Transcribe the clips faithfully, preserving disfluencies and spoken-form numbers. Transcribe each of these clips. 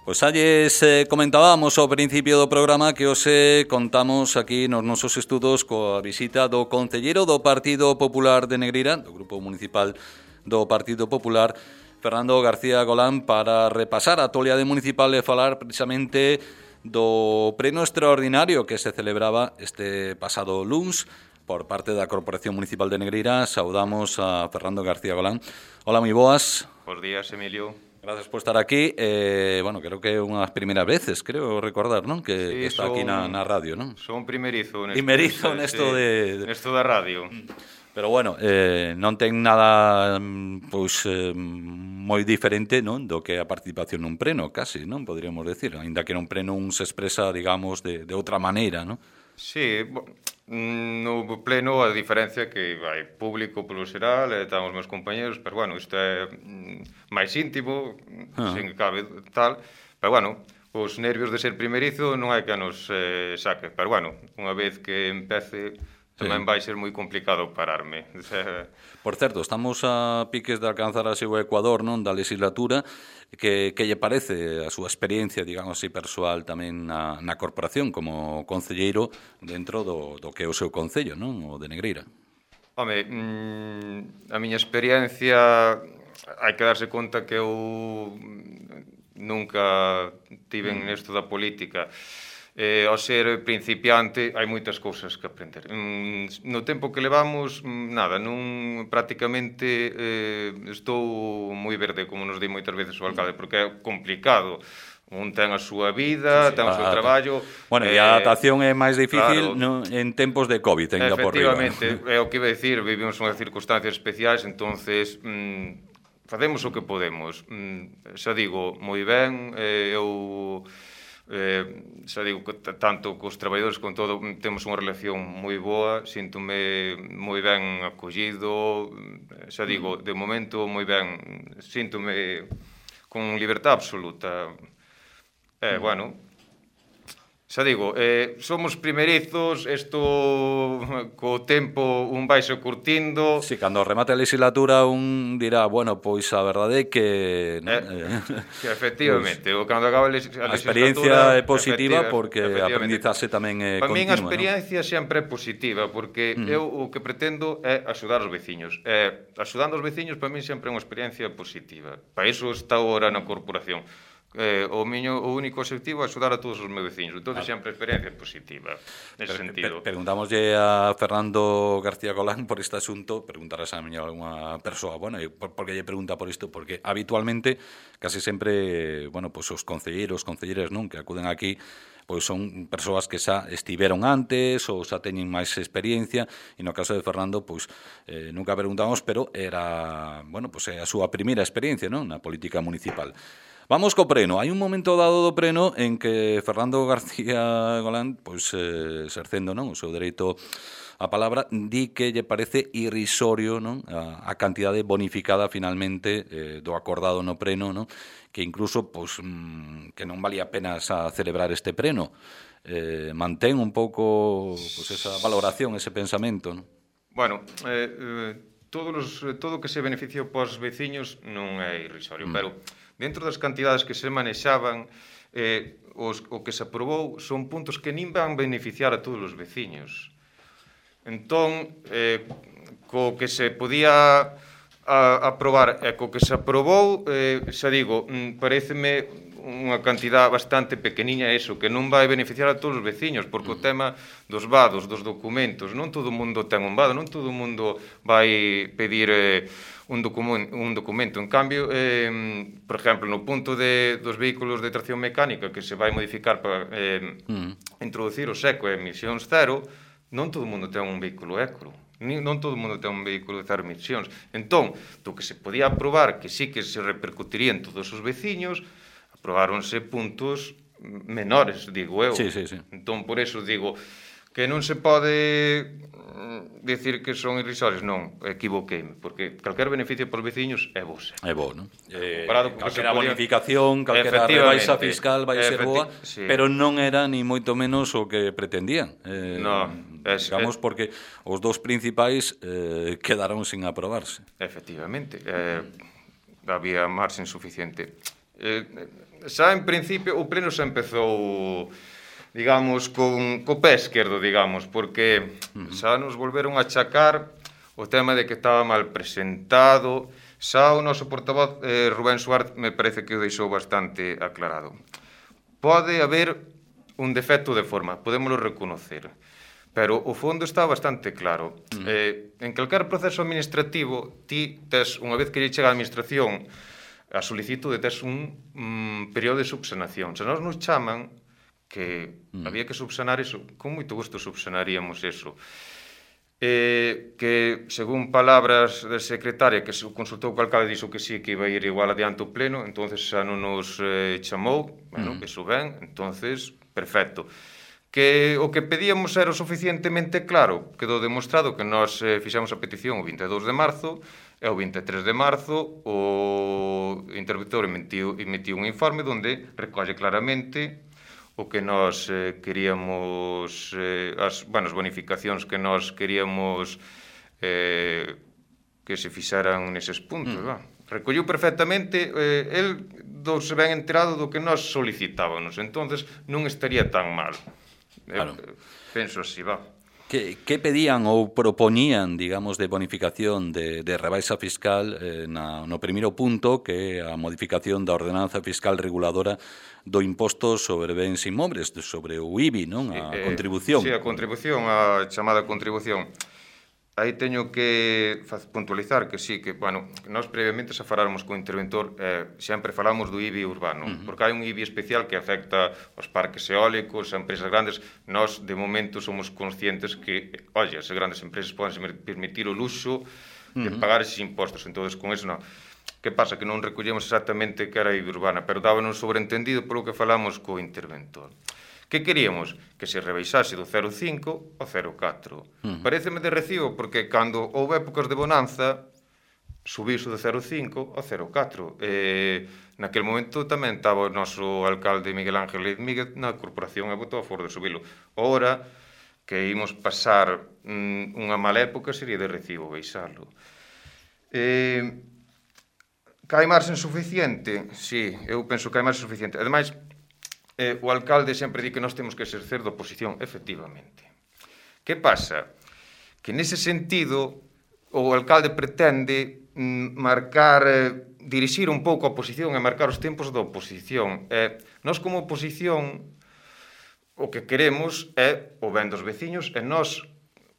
Pois alles eh, comentábamos ao principio do programa que hoxe contamos aquí nos nosos estudos coa visita do concelleiro do Partido Popular de Negreira, do Grupo Municipal do Partido Popular, Fernando García Golán, para repasar a actualidade municipal e falar precisamente do pleno extraordinario que se celebraba este pasado luns por parte da Corporación Municipal de Negreira. Saudamos a Fernando García Golán. Hola, moi boas. Bos días, Emilio. Gracias por estar aquí. Eh, bueno, creo que é unhas primeiras veces, creo recordar, non? Que, sí, que está son, aquí na, na radio, non? Son primerizo nesto, primerizo nesto de, de... Nesto da radio. Pero bueno, eh, non ten nada pois eh, moi diferente, non, do que a participación nun pleno, casi, non? Poderíamos decir, aínda que nun pleno un se expresa, digamos, de, de outra maneira, non? Sí, no pleno a diferencia que vai público polo xeral, e están os meus compañeros, pero bueno, isto é máis íntimo, ah. sen que cabe tal, pero bueno, os nervios de ser primerizo non hai que nos eh, saque, pero bueno, unha vez que empece tamén sí. vai ser moi complicado pararme. Por certo, estamos a piques de alcanzar así o Ecuador, non, da legislatura. Que, que lle parece a súa experiencia, digamos así, persoal tamén na, na corporación como concelleiro dentro do, do que é o seu concello, non? O de Negreira. Home, mmm, a miña experiencia hai que darse conta que eu nunca tiven mm. nesto da política. Eh, ao ser principiante hai moitas cousas que aprender. Mm, no tempo que levamos, nada, non prácticamente eh, estou moi verde, como nos di moitas veces o alcalde, porque é complicado. Un ten a súa vida, sí, sí, ten o seu traballo. Bueno, e a adaptación é máis difícil claro, no, en tempos de COVID, ainda por riba. Efectivamente, é o que iba a dicir, vivimos unhas circunstancias especiais, entonces mm, facemos o que podemos. Mm, xa digo, moi ben, eh, eu... Eh, xa digo, tanto cos traballadores con todo temos unha relación moi boa, síntome moi ben acollido, xa digo, de momento moi ben, síntome con libertad absoluta. Eh, bueno, xa digo, eh, somos primerizos, isto co tempo un vaise curtindo. Si, sí, cando remate a legislatura un dirá, bueno, pois a verdade é que... ¿no? Eh, que efectivamente, pues, cando acaba a legislatura... A experiencia é positiva porque a aprendizaxe tamén é continua. Para min a experiencia ¿no? sempre é positiva, porque mm. eu o que pretendo é axudar os veciños. Eh, axudando os veciños, para min sempre é unha experiencia positiva. Para iso está agora na corporación. Eh, o miño o único objetivo é axudar a todos os meus veciños, entón ah. sempre a experiencia positiva nese per, sentido. Per, Preguntámoslle a Fernando García Golán por este asunto, preguntarás a miña alguna persoa, bueno, por, por que lle pregunta por isto, porque habitualmente casi sempre, bueno, pues os concelleiros, concelleiras, non, que acuden aquí, pois son persoas que xa estiveron antes ou xa teñen máis experiencia, e no caso de Fernando, pois eh, nunca preguntamos, pero era, bueno, pois é a súa primeira experiencia, non, na política municipal. Vamos co preno. Hai un momento dado do preno en que Fernando García Golán, pois eh, exercendo, non, o seu dereito a palabra, di que lle parece irrisorio, non, a, a cantidade bonificada finalmente eh, do acordado no preno, non, que incluso pois mmm, que non valía a pena xa celebrar este preno. Eh, mantén un pouco pois esa valoración, ese pensamento, non? Bueno, eh, eh, todos los, todo o que se beneficia pos veciños non é irrisorio, mm. pero dentro das cantidades que se manexaban, eh, os, o que se aprobou son puntos que nin van beneficiar a todos os veciños. Entón, eh, co que se podía a, aprobar e co que se aprobou, eh, xa digo, pareceme unha cantidad bastante pequeniña eso, que non vai beneficiar a todos os veciños, porque o tema dos vados, dos documentos, non todo o mundo ten un vado, non todo o mundo vai pedir eh, un, document, un documento. En cambio, eh, por exemplo, no punto de, dos vehículos de tracción mecánica que se vai modificar para eh, mm. introducir o seco e emisións cero, non todo o mundo ten un vehículo eco. Non todo o mundo ten un vehículo de cero emisións. Entón, do que se podía aprobar, que sí que se repercutiría en todos os veciños, aprobaronse puntos menores, digo eu. Sí, sí, sí. Entón, por eso digo que non se pode dicir que son irrisorios, non, equivoqueime, porque calquer beneficio para os veciños é bo. É bo, non? Eh, calquera podía... bonificación, calquera rebaixa fiscal vai ser boa, sí. Pero non era ni moito menos o que pretendían. Eh, no, es, digamos, es... porque os dous principais eh, quedaron sin aprobarse. Efectivamente, eh, había marxen suficiente. Eh, xa en principio, o pleno xa empezou, digamos, con, co pé esquerdo, digamos, porque uh-huh. xa nos volveron a achacar o tema de que estaba mal presentado. Xa o noso portavoz, eh, Rubén Suárez, me parece que o deixou bastante aclarado. Pode haber un defecto de forma, podémoslo reconocer, pero o fondo está bastante claro. Uh-huh. Eh, en calquer proceso administrativo, ti tes, unha vez que lle chega a administración a solicitude, tes un um, período de subsanación. Se nos nos chaman que uh-huh. había que subsanar eso, con moito gusto subsanaríamos eso. Eh, que, según palabras da secretaria que se consultou co alcalde, dixo que sí, que iba a ir igual adiante o pleno, entonces xa non nos eh, chamou, bueno, uh-huh. eso ben, entonces, perfecto. Que o que pedíamos era o suficientemente claro, quedou demostrado que nós eh, fixamos a petición o vinte e dous de marzo, e o vinte e tres de marzo o interventor emitiu, emitiu un informe onde recolle claramente o que nós eh, queríamos, eh, as, bueno, as bonificacións que nós queríamos eh, que se fixaran neses puntos. Mm. Va. Recolliu perfectamente, eh, el douse ben enterado do que nós solicitábamos, entonces non estaría tan mal. Claro. Eh, penso así, va. Que, que pedían ou propoñían, digamos, de bonificación de, de rebaixa fiscal eh, na, no primeiro punto, que é a modificación da ordenanza fiscal reguladora do imposto sobre bens inmobles, sobre o I B I, non? A eh, contribución. Sí, a contribución, a chamada contribución. Aí teño que puntualizar que sí, que, bueno, nós previamente xa faláramos co interventor, eh, sempre falamos do I B I urbano, uh-huh. porque hai un I B I especial que afecta aos parques eólicos, a empresas grandes. Nós, de momento, somos conscientes que, oye, as grandes empresas poden permitir o luxo de uh-huh. pagar eses impostos, entón, con eso non. Que pasa? Que non recollemos exactamente que era a I B I urbana, pero dábanos sobreentendido polo que falamos co interventor. Que queríamos? Que se rebaixase do cero coma cinco ao cero coma catro. Uh-huh. Paréceme de recibo, porque cando houve épocas de bonanza, subiuse do cero coma cinco ao cero coma catro. E naquele momento tamén estaba o noso alcalde Miguel Ángel Míguez na corporación e votou a favor de subilo. Ora, que ímos pasar mm, unha mala época, sería de recibo baixalo. E... que hai marxen suficiente? Sí, eu penso que hai marxen suficiente. Ademais, Eh, o alcalde sempre di que nós temos que exercer de oposición, efectivamente. Que pasa? Que nese sentido o alcalde pretende mm, marcar, eh, dirixir un pouco a oposición e marcar os tempos da oposición. Eh, nós como oposición o que queremos é o ben dos veciños e nós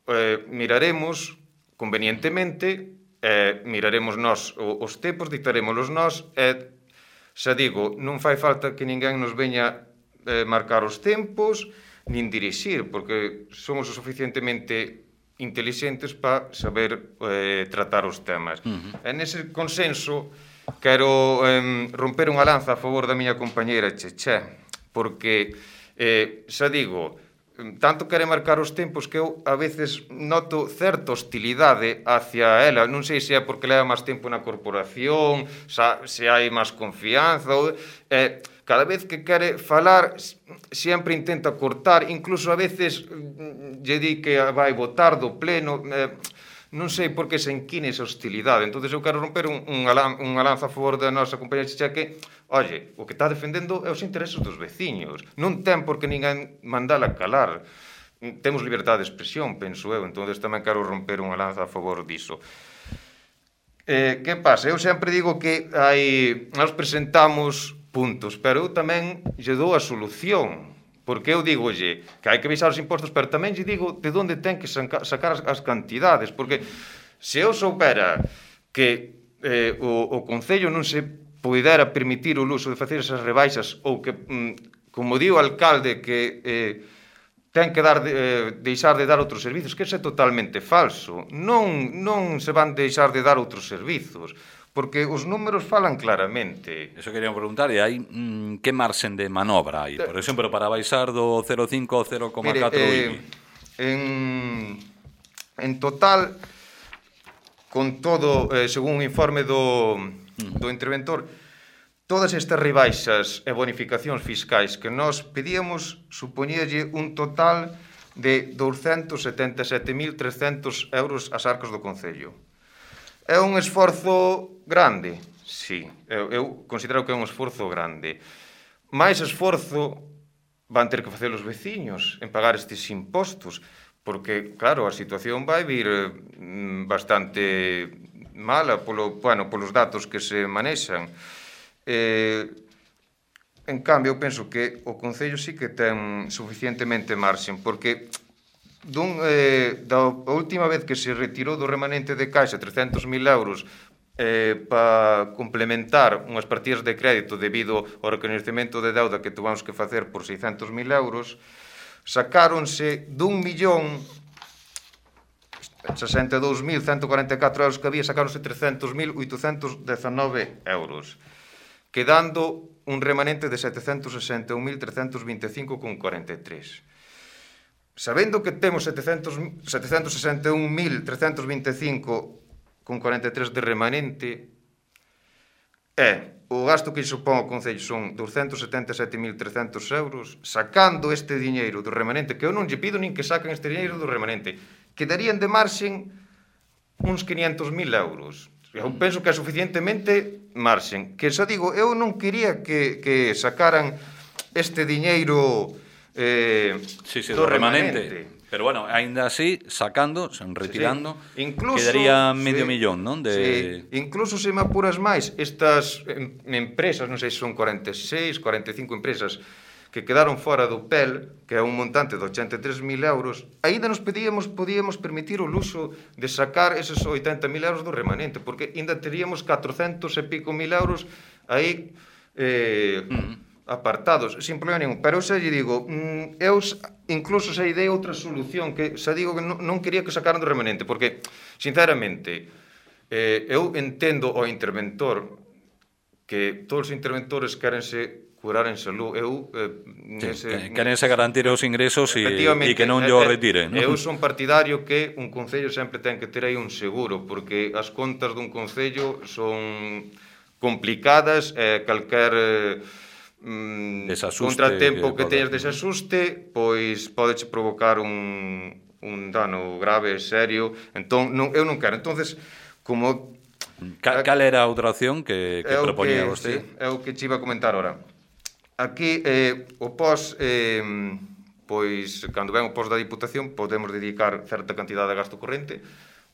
eh, miraremos convenientemente, eh, miraremos nós os tempos, dictarémolos nós e, xa digo, non fai falta que ninguén nos veña eh, marcar os tempos nin dirixir, porque somos o suficientemente intelixentes para saber eh, tratar os temas. Uh-huh. E nese consenso quero eh, romper unha lanza a favor da miña compañeira Cheche, porque, eh, xa digo, tanto quere marcar os tempos que eu a veces noto certa hostilidade hacia ela. Non sei se é porque leva máis tempo na corporación, se hai máis confianza, ou, eh, cada vez que quere falar sempre intenta cortar, incluso a veces lle di que vai votar do pleno, eh, non sei por que se enquine esa hostilidade. Entón eu quero romper un, unha, unha lanza a favor da nosa compañera Chicha que, oye, o que está defendendo é os intereses dos veciños, non ten por que ninguén mandala calar. Temos liberdade de expresión, penso eu, entón tamén quero romper unha lanza a favor diso. Eh, que pasa? Eu sempre digo que hai, nós presentamos puntos, pero eu tamén lle dou a solución, porque eu digolle que hai que baixar os impostos, pero tamén lle digo de onde ten que sacar as, as cantidades, porque se eu soubera que eh, o, o Concello non se poidera permitir o luxo de facer esas rebaixas, ou que, mm, como di o alcalde, que eh, ten que dar de, eh, deixar de dar outros servizos, que isso é totalmente falso. Non, non se van deixar de dar outros servizos, porque os números falan claramente. Eso queríamos preguntar, e hai mm, que marxen de manobra hai? Por exemplo, para baixar do cero coma cinco ao cero coma catro eh, I B I. En, en total, con todo, eh, según un informe do, mm. do interventor, todas estas rebaixas e bonificacións fiscais que nós pedíamos supoñíalle un total de douscentos setenta e sete mil trescentos euros ás arcas do Concello. É un esforzo grande? Sí, eu, eu considero que é un esforzo grande. máis esforzo van ter que facer os veciños en pagar estes impostos, porque, claro, a situación vai vir eh, bastante mala polo, bueno, polos datos que se manexan. Eh, en cambio, eu penso que o Concello sí que ten suficientemente marxen, porque dun, eh, da última vez que se retirou do remanente de caixa trescentos mil euros Eh, para complementar unhas partidas de crédito debido ao recoñecemento de deuda que tuvamos que facer por seiscentos mil euros, sacáronse dun millón sesenta e dous mil cento e cuarenta e catro euros que había, sacáronse trescentos mil oitocentos dezanove euros, quedando un remanente de setecentos sesenta e un mil trescentos vinte e cinco con cuarenta e tres. Sabendo que temos setecentos sesenta e un mil trescentos vinte e cinco con cuarenta e tres de remanente, e o gasto que supón ao Concello son douscentos setenta e sete mil trescentos euros, sacando este diñeiro do remanente, que eu non lle pido nin que saquen este diñeiro do remanente, quedarían de marxen uns quinhentos mil euros. Eu penso que é suficientemente marxen. Que xa digo, eu non quería que, que sacaran este diñeiro eh, sí, sí, do, do remanente. remanente. Pero bueno, ainda así, sacando, retirando, sí, sí. Incluso, quedaría medio sí, millón, non? De... Sí. Incluso se me apuras máis, estas empresas, non sei se son cuarenta e seis, cuarenta e cinco empresas que quedaron fora do P E L, que é un montante de ochenta e tres mil euros, aínda nos pedíamos, podíamos permitir o luxo de sacar eses oitenta mil euros do remanente, porque aínda teríamos catrocentos e pico mil euros aí eh, mm. apartados, sin problema ningún. Pero eu xa lle digo, eu incluso xa dei outra solución, que xa digo que non quería que sacaran do remanente, porque, sinceramente, eh, eu entendo ao interventor que todos os interventores querense curar en salud. Eu, eh, nese, sí, querense garantir os ingresos e, e que non llo retiren, non? Eu son partidario que un concello sempre ten que ter aí un seguro, porque as contas dun concello son complicadas, e eh, calquer... Eh, Mm, contratempo que, que teñas desasuste, pois podeche provocar un, un dano grave, serio. Entón, non, eu non quero. Entonces, como... Cal, cal era a outra opción que, que proponía que, vostede? Sí, é o que che iba a comentar ahora. Aquí, eh, o pos... Eh, pois, cando ven o pos da Diputación, podemos dedicar certa cantidade a gasto corrente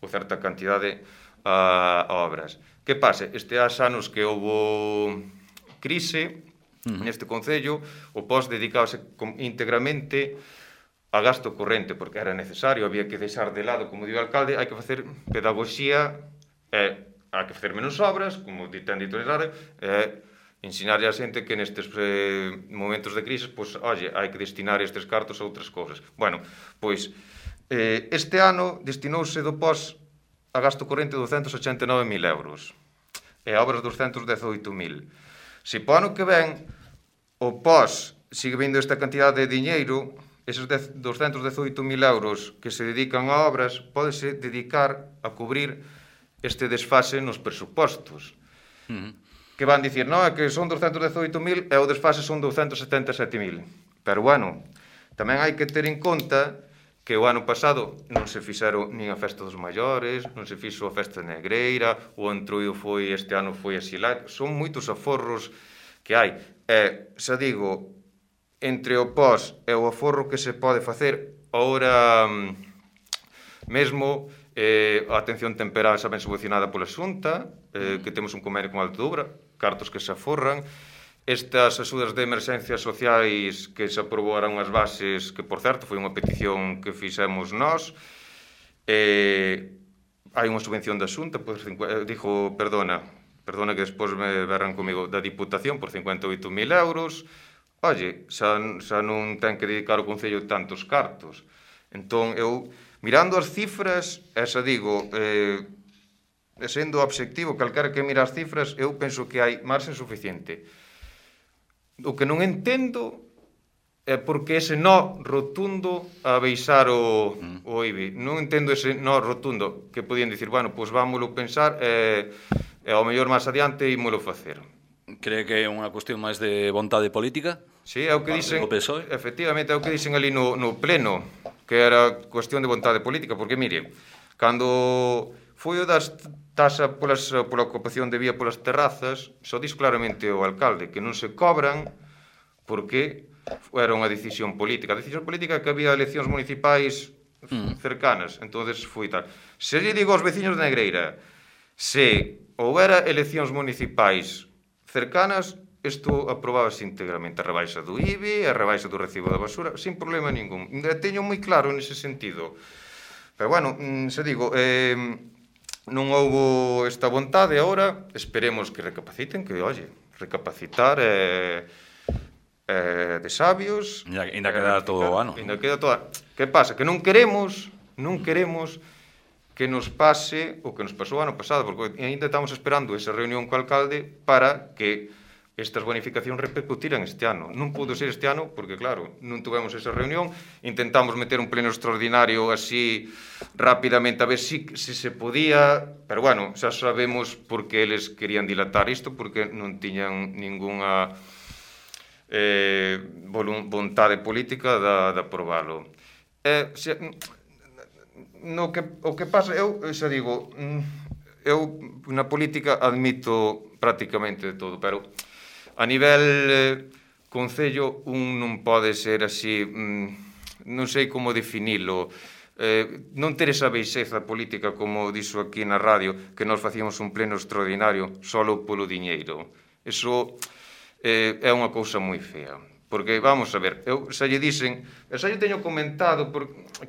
ou certa cantidade a, a obras. Que pase? Este anos que houve crise... Uh-huh. Neste Concello, o pos dedicábase íntegramente a gasto corrente, porque era necesario, había que deixar de lado, como digo o alcalde, hai que facer pedagogía, e hai que facer menos obras, como ten dito Nesare, e ensinar a xente que nestes eh, momentos de crise, pois, oye, hai que destinar estes cartos a outras cousas. Bueno, pois, eh, este ano destinouse do pos a gasto corrente douscentos ochenta e nove mil euros, e a obras douscentos dezoito mil. Se po ano que ven o pos sigue vindo esta cantidade de diñeiro, eses douscentos dezoito mil euros que se dedican a obras, pódese dedicar a cubrir este desfase nos presupostos. Uh-huh. Que van dicir, non, é que son douscentos dezoito mil e o desfase son douscentos setenta e sete mil. Pero, bueno, tamén hai que ter en conta que o ano pasado non se fixeron nin a festa dos maiores, non se fixo a festa negreira, o entruído foi, este ano foi asilar, son moitos aforros que hai. E, xa digo, entre o pos e o aforro que se pode facer, agora mesmo eh, a atención temperada xa ben subvencionada pola Xunta, eh, que temos un convenio con Alto Doura, cartos que se aforran, estas axudas de emerxencias sociais que se aprobaran as bases, que, por certo, foi unha petición que fixemos nós. Eh, hai unha subvención da Xunta, por cincuenta, dijo, perdona, perdona que despois me verran comigo, da Diputación por cincuenta e oito mil euros. Oye, xa, xa non ten que dedicar o Concello tantos cartos. Entón, eu, mirando as cifras, e xa digo, eh, sendo obxectivo, calquera que mira as cifras, eu penso que hai marxen suficiente. O que non entendo é porque ese no rotundo a beixar o, mm. o I B I. Non entendo ese no rotundo, que podían dicir, bueno, pois vámolo pensar e, e ao mellor máis adiante ímolo facer. Cree que é unha cuestión máis de vontade política? Sí, é o que dicen, efectivamente, é o que dicen ali no, no pleno, que era cuestión de vontade política, porque, mire, cando foi o das taxa polas, pola ocupación de vía polas terrazas, só dis claramente o alcalde que non se cobran porque era unha decisión política. A decisión política é que había eleccións municipais mm. cercanas, entonces foi tal. Se lle digo aos veciños de Negreira, se houbera eleccións municipais cercanas, isto aprobábase íntegramente, a rebaixa do I B I, a rebaixa do recibo da basura, sin problema ningún. Teño moi claro nese sentido. Pero, bueno, se digo, eh, non houbo esta vontade agora, esperemos que recapaciten, que, oye, recapacitar é eh, eh, de sabios. Ainda queda todo o ano. Ainda queda todo. Que pasa? Que non queremos, non queremos que nos pase o que nos pasou o ano pasado, porque ainda estamos esperando esa reunión co alcalde para que estas bonificacións repercutiran este ano. Non pudo ser este ano, porque, claro, non tuvemos esa reunión, intentamos meter un pleno extraordinario así rapidamente, a ver si, si se podía, pero, bueno, xa sabemos por que eles querían dilatar isto, porque non tiñan ninguna eh, vontade política de, de aprobalo. Eh, se, no que, o que pasa, eu xa digo, eu na política admito prácticamente de todo, pero a nivel eh, concello un non pode ser así, mm, non sei como definilo, eh, non ter esa baixeza política como dixo aquí na radio, que nós facíamos un pleno extraordinario solo polo diñeiro. Eso eh, é unha cousa moi fea, porque vamos a ver, eu xa lle dixen, xa lle teño comentado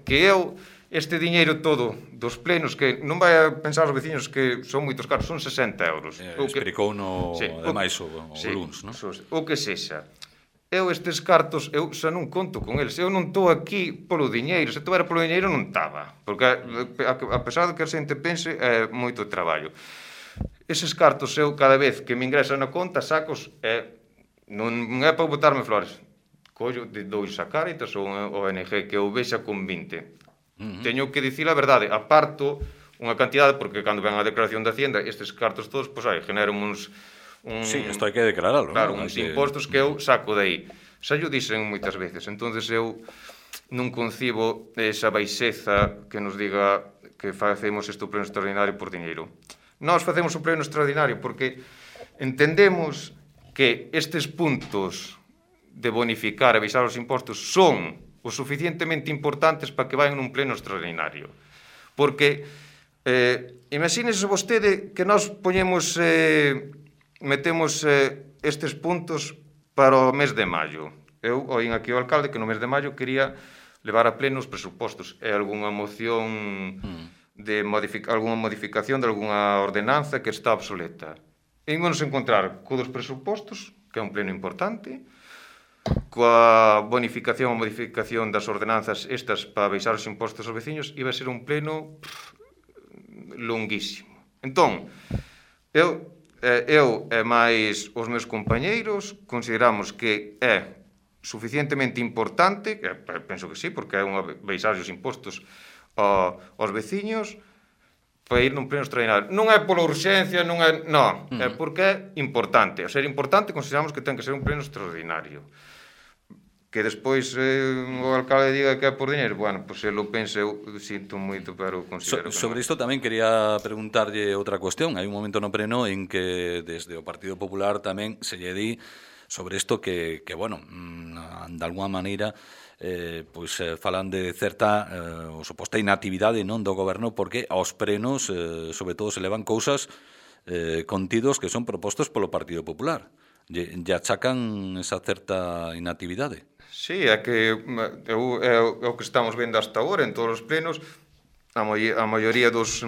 que eu este diñeiro todo dos plenos, que non vai a pensar os veciños que son moitos caros, son sesenta euros. Eh, explicou no, sí, ademais, o, o sí, luns, non? O que sexa. Eu estes cartos, eu xa non conto con eles. Eu non estou aquí polo diñeiro. Se estou era polo diñeiro non estaba. Porque, a pesar de que a xente pense, é moito traballo. Eses cartos, eu cada vez que me ingresan na conta, sacos, é, non é para botarme flores. Collo, dois a Cáritas ou un O N G que eu vexa con vinte. Uh -huh. Teño que dicir a verdade, aparto unha cantidade, porque cando ven a declaración da Hacienda, estes cartos todos, pois aí, generan uns... Un, sí, isto hai que declararlo. Claro, ¿no? uns que... impostos que eu saco de aí. Xa yo dixen moitas veces, entonces eu non concibo esa baixeza que nos diga que facemos este pleno extraordinario por diñeiro. Nós facemos o pleno extraordinario porque entendemos que estes puntos de bonificar e baixar os impostos son o suficientemente importantes para que vayan nun pleno extraordinario. Porque, eh, imagínese vostede que nós poñemos, eh, metemos eh, estes puntos para o mes de maio. Eu oín aquí o alcalde que no mes de maio quería levar a pleno os presupostos e algunha moción de modific algunha modificación de algunha ordenanza que está obsoleta. E ímonos encontrar co dos presupostos, que é un pleno importante, coa bonificación ou modificación das ordenanzas estas para baixar os impostos aos veciños, iba a ser un pleno pff, longuísimo. Entón, eu, eu e máis os meus compañeiros consideramos que é suficientemente importante, que penso que sí, porque é unha baixar os impostos aos veciños, para ir nun pleno extraordinario. Non é pola urxencia, non é... Non, é porque é importante. A ser importante consideramos que ten que ser un pleno extraordinario. Que despois eh, o alcalde diga que é por diñeiro, bueno, pois pues, se lo pense, eu sinto moito, pero considero so, que sobre non. isto tamén quería preguntarlle outra cuestión. Hai un momento no pleno en que desde o Partido Popular tamén se lle di sobre isto que, que bueno, de alguma maneira eh, pois eh, falan de certa eh, o suposta inactividade non do goberno, porque aos plenos eh, sobre todo se levan cousas eh, contidos que son propostos polo Partido Popular. Lle, lle achacan esa certa inactividade. Sí, é que é o, é o que estamos vendo hasta agora en todos os plenos. A, moi, a maioría dos,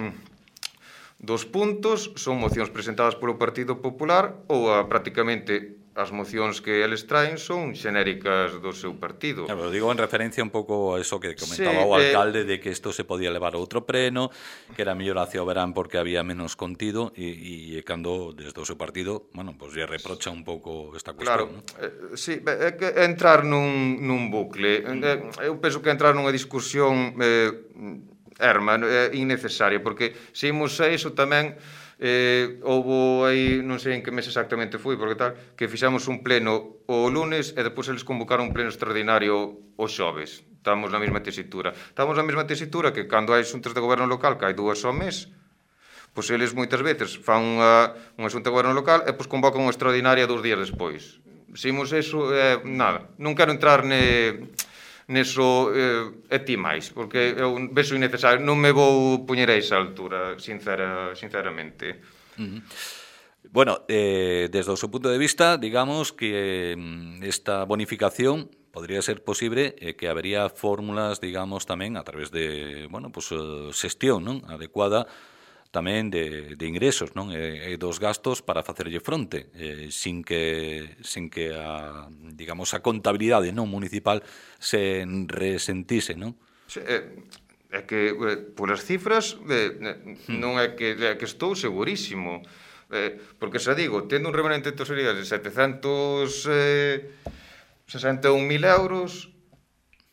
dos puntos son mocións presentadas polo Partido Popular ou a, prácticamente as mocións que eles traen son xenéricas do seu partido. Claro, digo en referencia un pouco a eso que comentaba sí, o alcalde, eh... de que isto se podía levar a outro pleno, que era mellor hacia o verán porque había menos contido, e, e cando desde o seu partido, bueno, pues lle reprocha un pouco esta cuestión. Claro, ¿no? eh, sí, é que entrar nun, nun bucle. Eh, eu penso que entrar nunha discusión eh, erma, é innecesaria, porque se imos a iso tamén... Eh, houve aí, non sei en que mes exactamente foi, porque tal, que fixamos un pleno o lunes e depois eles convocaron un pleno extraordinario o xoves. Estamos na mesma tesitura. Estamos na mesma tesitura que cando hai xuntas de goberno local que hai dúas ao mes, pois eles moitas veces fan unha, unha xunta de goberno local e pois convocan unha extraordinaria dous días despois. Simos eso, eh, nada, non quero entrar ne, neso eh, e ti máis, porque eu vexo innecesario, non me vou poñer a esa altura, sincera, sinceramente. Uh-huh. Bueno, eh, desde o seu punto de vista, digamos que eh, esta bonificación podría ser posible e eh, que habería fórmulas, digamos, tamén a través de, bueno, pues, uh, xestión, non? Adecuada tamén de, de ingresos, non? E, e dos gastos para facerlle fronte, eh, sin que sin que a, digamos, a contabilidade non municipal se resentise, non? Sí, é, é que eh, polas cifras eh, non é que, é que estou segurísimo, eh, porque xa digo, tendo un remanente de tesorería de setecentos sesenta e un mil euros,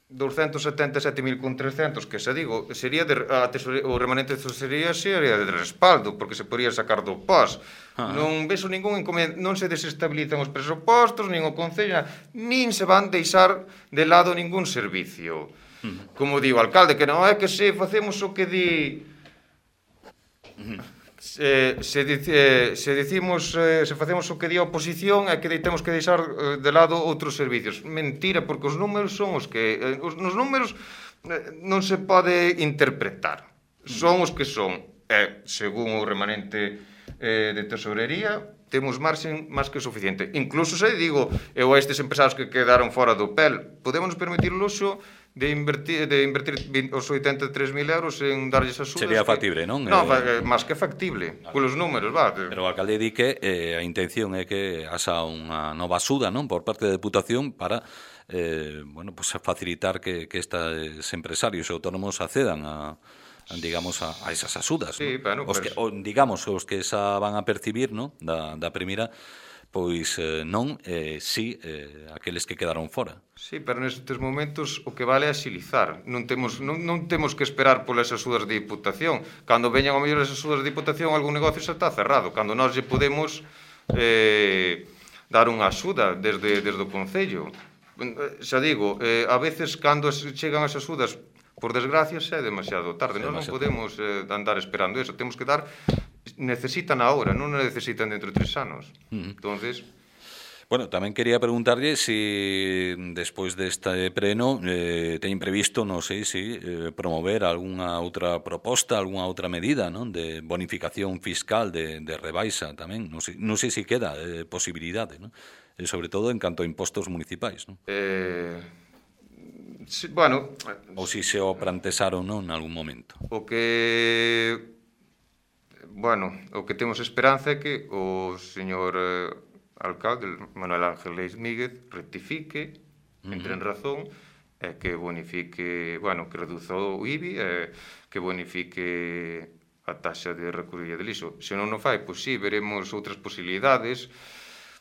doscientos setenta e sete mil con trescentos, que xa digo, sería de, a tesorería, o remanente de tesorería sería de respaldo, porque se podría sacar do P O S. Ah. Non vexo ningún inconveniente, non se desestabilizan os presupostos, nin o Concello, nin se van deixar de lado ningún servicio. Uh-huh. Como digo, alcalde, que non é que se facemos o que di... Uh-huh. Se, se, dice, se decimos eh, se facemos o que di a oposición é que temos que deixar eh, de lado outros servicios. Mentira, porque os números son os que eh, os, os números eh, non se pode interpretar, son os que son, e según o remanente eh, de tesorería temos marxen máis que suficiente. Incluso se digo eu a estes empresarios que quedaron fora do P E L, podemos permitir o luxo de invertir, de invertir os oitenta e tres mil euros en darlles axudas. Sería factible, non? Non, eh, máis que factible, claro. Polos números, va. Pero o alcalde di que eh, a intención é que haxa unha nova axuda, non? Por parte da Deputación para eh, bueno, pues facilitar que, que estes empresarios e autónomos accedan a, a digamos, a, a esas axudas. Sí, ¿no? bueno, os que, o, digamos, os que xa van a percibir, ¿no? da, da primeira, pois eh, non, eh, sí, eh, aqueles que quedaron fora. Sí, pero nestes momentos o que vale é axilizar. Non temos, non, non temos que esperar polas axudas de Diputación. Cando veñan ao mellor as axudas de Diputación, algún negocio xa está cerrado. Cando nós lle podemos eh, dar unha axuda desde, desde o Concello. Xa digo, eh, a veces cando chegan as axudas, por desgracia, xa é demasiado tarde. Nós non podemos eh, andar esperando eso. Temos que dar... Necesitan ahora, non necesitan dentro de tres anos. Uh-huh. Entonces... Bueno, tamén quería preguntarlle se despois deste pleno eh, teñen previsto, non sei, si eh, promover algunha outra proposta, algunha outra medida, non, de bonificación fiscal, de, de rebaixa tamén. Non sei, non sei se queda eh, posibilidade, non? E sobre todo en canto a impostos municipais, non? Eh... Sí, bueno... Ou se se o plantearon, non, en algún momento. O que... Bueno, o que temos esperanza é que o señor... Eh... alcalde, Manuel Ángel Leis Míguez, rectifique, entre en razón, e que bonifique, bueno, que reduza o I B I, e que bonifique a taxa de recollida de lixo. Se non o fai, pois sí, veremos outras posibilidades.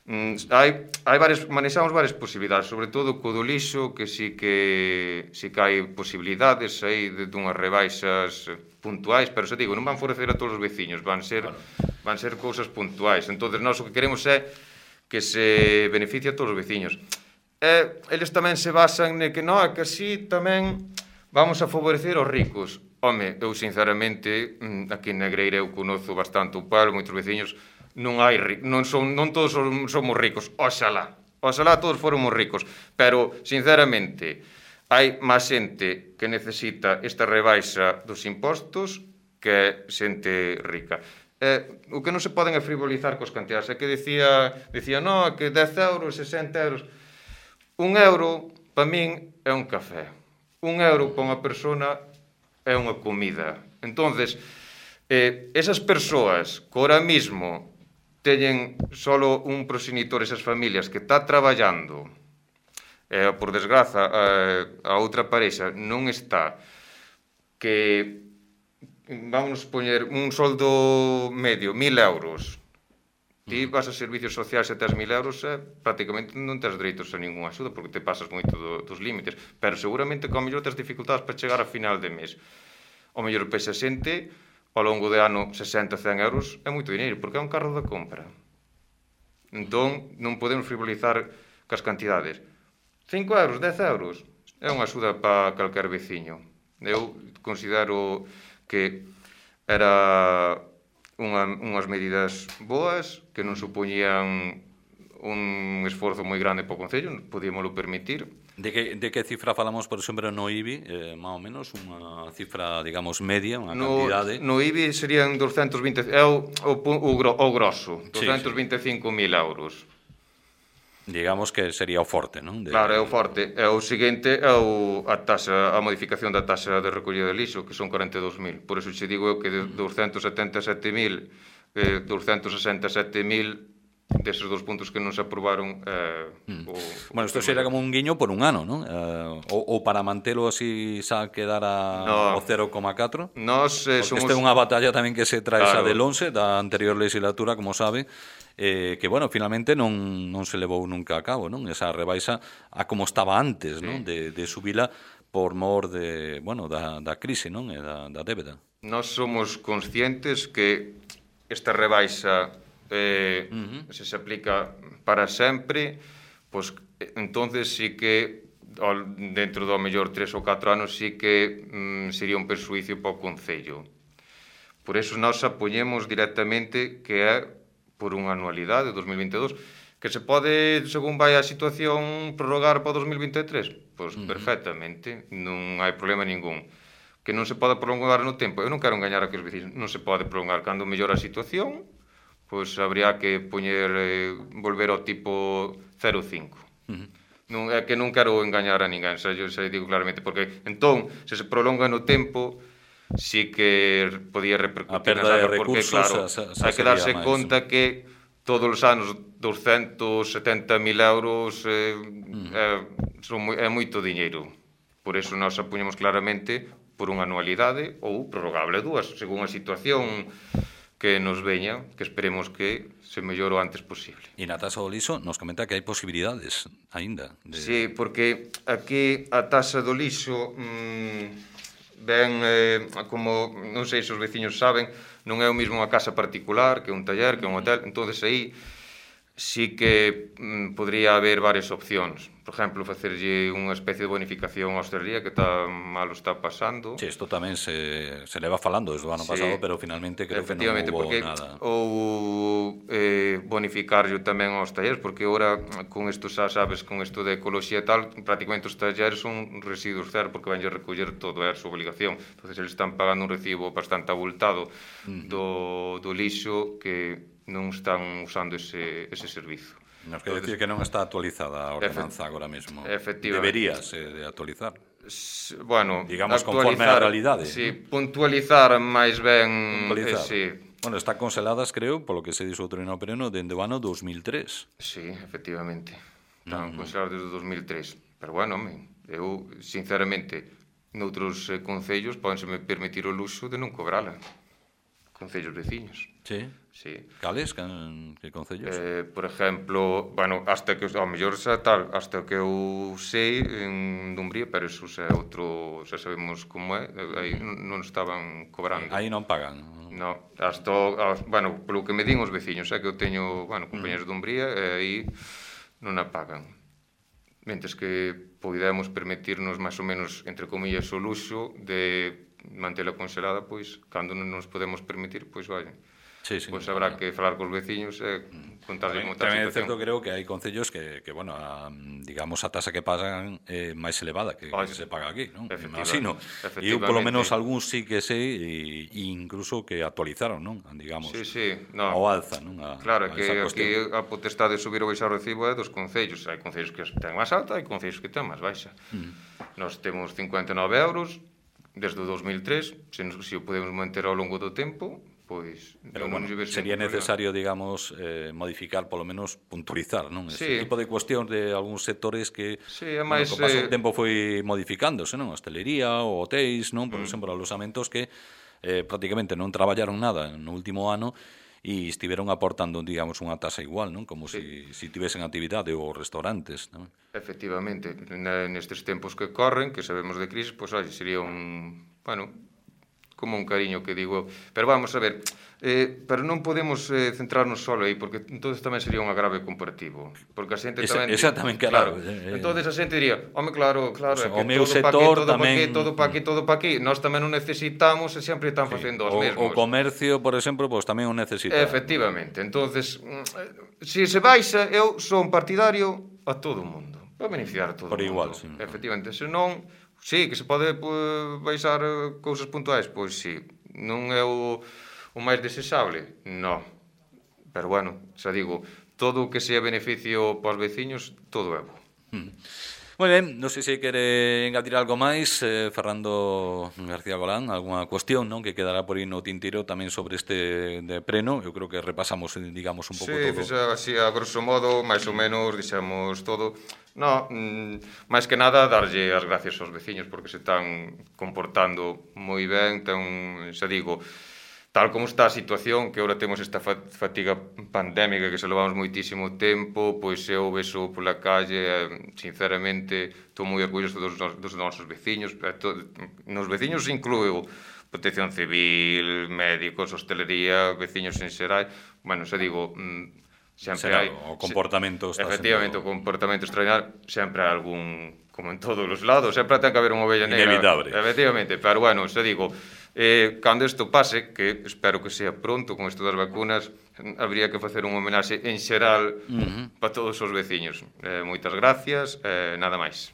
Mm, hai, hai varias, manexamos varias posibilidades, sobre todo co do lixo, que sí que, sí que hai posibilidades aí de dunhas rebaixas puntuais, pero se digo, non van favorecer a todos os veciños, van ser, van ser cousas puntuais. Entonces, nós o que queremos é que se beneficie a todos os veciños. E eles tamén se basan ne que non, que así tamén vamos a favorecer os ricos. Home, eu sinceramente, aquí en Negreira eu conozo bastante o pueblo, moitos veciños, non hai non son non todos somos ricos, oxalá. Oxalá todos fóramos ricos, pero sinceramente hai máis xente que necesita esta rebaixa dos impostos que xente rica. Eh, o que non se poden é frivolizar cos cantidades. É que decía, decía, non, que dez euros, sesenta euros. Un euro, para min, é un café. Un euro para unha persona é unha comida. Entonces, eh, esas persoas que ahora mismo teñen solo un progenitor, esas familias que está traballando, eh, por desgraza, eh, a outra parexa non está, que... vamos poñer un soldo medio, mil euros. Ti vas a servicios sociais e tes mil euros, eh, prácticamente non tes dereitos a ninguna axuda porque te pasas moito do, dos límites. Pero seguramente que ao mellor tes dificultades para chegar a final de mes. Ao mellor pexa xente, ao longo de ano sesenta, cen euros, é moito dinheiro, porque é un carro de compra. Entón, non podemos frivolizar cas cantidades. cinco euros, dez euros, é unha axuda para calquer veciño. Eu considero que era unha, unhas medidas boas, que non supoñían un esforzo moi grande para o Concello, podíamoslo permitir. De que, de que cifra falamos, por exemplo, no I B I, eh, máis ou menos, unha cifra, digamos, media, unha No, cantidade? no I B I serían doscientos vinte, é o, o, o, o grosso, doscientos vinte e cinco mil euros. Digamos que sería o forte, non? De... Claro, é o forte. E o seguinte é o, a taxa, a modificación da taxa de recollida de lixo, que son corenta e dous mil. Por eso che digo eu que de doscientos setenta e sete mil, eh, doscientos sesenta e sete mil deses dos puntos que non se aprobaron eh, mm. o, bueno, isto será como un guiño por un ano, non? Eh, ou, ou para mantelo así xa quedara no, o cero coma catro? Nos eh, Porque somos... esta é unha batalla tamén que se trae claro. xa del once, da anterior legislatura, como sabe, eh, que, bueno, finalmente non, non se levou nunca a cabo, non? Esa rebaixa a como estaba antes, sí. non? De, de subila por mor de, bueno, da, da crise, non? E da, da débeda. Nós somos conscientes que esta rebaixa eh, uh-huh. se se aplica para sempre, pois entonces sí que dentro do mellor tres ou catro anos sí que mm, sería un persuicio para o Concello. Por eso nós apoñemos directamente que é por unha anualidade, dos mil vinte e dous, que se pode, según vai a situación, prorrogar para o dos mil vinte e tres. Pois uh-huh. perfectamente, non hai problema ningún. Que non se pode prolongar no tempo, eu non quero engañar a que os vecinos, non se pode prolongar. Cando mellora a situación, pois habría que poñer, eh, volver ao tipo cero coma cinco. Uh-huh. Non, é que non quero engañar a ninguén, xa, eu xa digo claramente, porque entón, se se prolonga no tempo, sí que podía repercutir a perda de porque, recursos, claro, xa, xa hai que darse máis, conta que todos os anos doscientos setenta mil euros eh, mm. é, son, é moito diñeiro. Por eso nós apuñamos claramente por unha anualidade ou prorrogable dúas, según a situación que nos veña, que esperemos que se mellore o antes posible. E na taxa do lixo nos comenta que hai posibilidades aínda. De... Sí, porque aquí a taxa do lixo mmm, ben, eh, como non sei se os veciños saben, non é o mesmo unha casa particular que un taller, que un hotel, entonces aí sí que mm, podría haber varias opcións. Por exemplo, facerlle unha especie de bonificación á hostelería que tá mal está pasando. Sí, isto tamén se, se leva falando desde o ano sí, pasado, pero finalmente creo que non hubo nada. Ou eh, bonificarlle tamén aos talleres, porque ora con isto xa sabes, con isto de ecoloxía e tal, prácticamente os talleres son residuos cero, porque vanlle recoller todo, é a súa obligación. Entonces eles están pagando un recibo bastante abultado uh-huh. do, do lixo que non están usando ese, ese servizo. Nos quer decir que non está actualizada a ordenanza agora mesmo. Efectivamente. Deberíase de actualizar. Bueno, digamos conforme á realidade. Sí, ¿no? Puntualizar máis ben... Puntualizar. Eh, sí. Bueno, está congeladas, creo, polo que se dixo outro no pereno, dende o ano dos mil tres. Sí, efectivamente. Están uh-huh. congeladas desde o dos mil tres. Pero bueno, eu, sinceramente, noutros eh, concellos podenseme permitir o luxo de non cobrala. Concellos veciños. Sí? Sí. Cales? Que, que concellos? Eh, por exemplo, bueno, hasta que, ao mellor xa tal, hasta que eu sei en Dumbría, pero eso xa é outro, xa sabemos como é, aí non estaban cobrando. Aí non pagan? No, hasta, bueno, polo que me din os veciños, é que eu teño, bueno, compañeros de Dumbría, e aí non a pagan. Mentes que podemos permitirnos máis ou menos, entre comillas, o luxo de mantela congelada, pois, cando non nos podemos permitir, pois, vai. Sí, sí, pois habrá que falar cos veciños e contarles como está a situación. Tamén é certo, creo que hai concellos que, que bueno, a, digamos, a tasa que pagan é máis elevada que, que se paga aquí, non? Imagino. E eu, polo menos, algúns sí que sei, e incluso que actualizaron, non? Digamos, sí, sí, no. ao alza, non? A, claro, a que aquí a potestade de subir ou baixar o recibo é dos concellos. Hai concellos que ten máis alta, hai concellos que ten máis baixa. Mm. Nós temos cincuenta e nove euros desde o dos mil tres, se, nos, se o podemos manter ao longo do tempo, pois... Pero, bueno, sería necesario, digamos, eh, modificar, polo menos, puntualizar, non? Sí. Ese tipo de cuestión de algúns sectores que, sí, máis, bueno, con paso eh... do tempo foi modificándose, non? Hostelería ou hotéis, non? Por mm. exemplo, alosamentos que eh, prácticamente non traballaron nada no último ano e estiveron aportando, digamos, unha tasa igual, non? Como sí. si, si tivesen actividade ou restaurantes, non? Efectivamente, nestes tempos que corren, que sabemos de crise, pois, oi, sería un... Bueno... como un cariño que digo, pero vamos a ver, eh, pero non podemos eh, centrarnos só aí, porque entonces tamén sería un agrave comparativo, porque a xente Esa, tamén... exactamente, claro. claro. Entonces a xente diría, home, claro, claro, O sea, é que o meu todo pa sector aquí, todo tamén... pa aquí, todo pa aquí, todo pa aquí, nós tamén o necesitamos e sempre están facendo os o, mesmos. o comercio, por exemplo, pues, tamén o necesita. Efectivamente, entonces, se se baixa, eu son partidario a todo o mundo, para beneficiar a todo Por o mundo. igual, sí. Efectivamente, se non, sí, que se pode pues, baixar cousas puntuais, pois sí, non é o, o máis desexable, non. Pero bueno, xa digo, todo o que sea beneficio para os veciños, todo é bo. Mm. Moi ben, non sei se quere engadir algo máis, eh, Fernando García Golán, algunha cuestión, non, que quedará por aí no tintero tamén sobre este de preno. Eu creo que repasamos, digamos, un pouco sí, todo. Sí, así, a grosso modo, máis ou menos, dixemos todo. No, mm, máis que nada, darlle as gracias aos veciños, porque se están comportando moi ben, ten, xa digo, tal como está a situación, que agora temos esta fatiga pandémica que se levamos moitísimo tempo, pois eu vexo pola calle, sinceramente, estou moi orgulloso dos, dos nosos veciños, nos veciños incluo protección civil, médicos, hostelería, veciños en xeral, bueno, xa digo, sempre hai... O comportamento está efectivamente, sendo... o comportamento extraordinario, sempre hai algún, como en todos os lados, sempre ten que haber unha ovella negra. Inevitable. Efectivamente, pero bueno, xa digo, eh, cando isto pase, que espero que sea pronto con isto das vacunas, habría que facer un homenaxe en xeral uh -huh. para todos os veciños. Eh, moitas gracias, eh, nada máis.